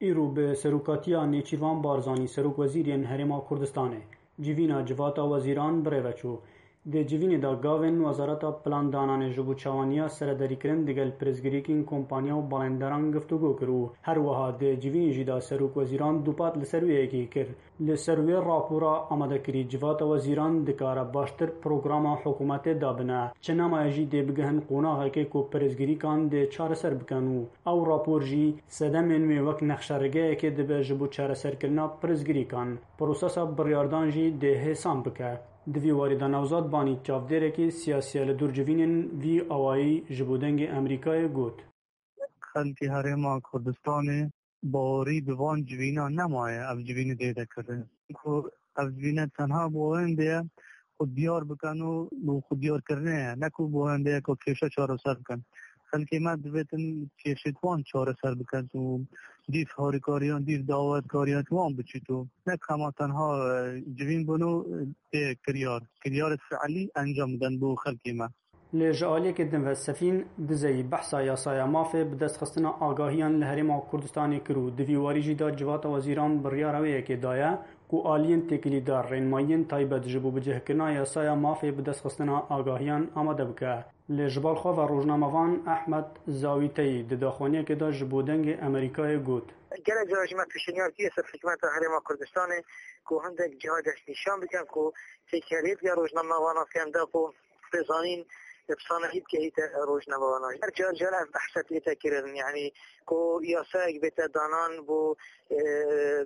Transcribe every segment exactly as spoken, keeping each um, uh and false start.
Îro bi serokatiya Nêçîrvan Barzanî, serokwezîrên Herêma Kurdistanê, civîna Civata Wezîran bi rê ve çû. Di civînê de gavên Wezareta Plandananê ji bo çawaniya serederîkirin digel pirsgirêkên kompanya û balênderan giftûgo kir û her wiha di civînê jî de serokwezîran dûpat li ser wê yekê kir. Li ser wê rapora amadekirî, Civata Wezîran dikare baştir programa hikûmetê dabine. Çi nemaye jî dê bigihin qonaxekê ku pirsgirîkan dê çareser bikin û ew rapor jî sedemên wê wek nexşerigeyekê dibe ji bo çareserkirina pirsgirîkan. Prosesa biryardan jî dê hêsan bike. Di vî warî de Newzad Banî, çavdêrekî siyasî ye li dûr civînên vî awayî ji bo Dengê Amerîkayê got. Xelkê Herêma Kurdistanê bawerî bi van civîna nemaye, ev civînê dê de kirin. Ku ev civîne tenha bo hindê ye, xwe diyar bikin û bo xwe diyarkirinê ye, ne ku bo hindê ye ku kêşe çareser bikin. Xelkê me divêtin kêşêt wan çareser bikin û dîv harîkariyan, dîv dawetkariyan wan biçît û ne hema tenha, e, civîn bûn û, e, tê kiryar. Kiryarê fiilî encam bidin bo xelkê me. Lê ji aliyekê din ve Sefîn Dizeyî behsa yasaya mafê bidestxistina agahiyan li Herêma Kurdistanê kir û di vî warî jî de Civata Wezîran biryara wê yekê daye ku aliyên têkilîdar rênmayiyên taybet ji bo bicihkirina yasaya mafê bidestxistina agahiyan amade bike. Lê ji balxwe ve rojnamevan Ehmed Zawîteyî di daxuyaniyekê de ji bo Dengê Amerîkayê got. Gelek cara jî me pêşniyar kiriye ser hikûmeta Herêma Kurdistanê ku hindek ciha destnîşan bikin ku têkiliyet ya rojnamevanan fêm da ku pêzanîn bi sanahî bigehîte rojnamevanan. Her car car ev behse tête kirin, yanî ku yasayek bête danan bo, e,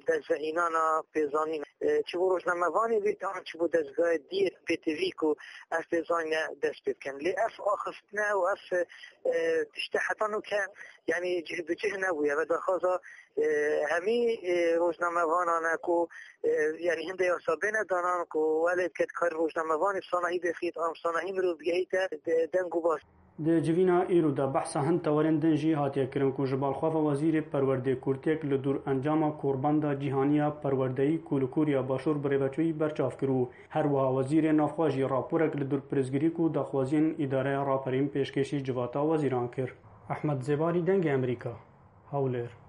dezvehînana pêzanîn. E, çi bo rojnamevanê bête an çi bo dezgahê diyê pêtivî ku ev pêzanîne dest pê bikin. Lê ev axiftin e û ev, e, tişte heta nûke, yanî cih bi cih nebûye. Ve daxwaza, e, hemî, e, rojnamevanan e ku, e, yanî hinde yasa bêne danan ku welê bike dikarî rojnamevanê sanahî bêxît, an sanahî mirov bigehîte de-, deng û bas. Di civîna îro de behsa hin tewerên din jî hatiye kirin ku ji balxwe ve Wezîrê Perwerdê kûrtiyek li dûr encama Korbanda Cîhanî ya Perwerdeyî ku li Koriya Başûr birêveçûyî berçav kir û her wiha Wezîrê Navxwe jî raporek li dûr pirsgirîk û daxwaziyên Îdareya Raperîn pêşkêşî Civata Wezîran kir. Ehmed Zêbarî, Dengê Amerîka, Hewlêr.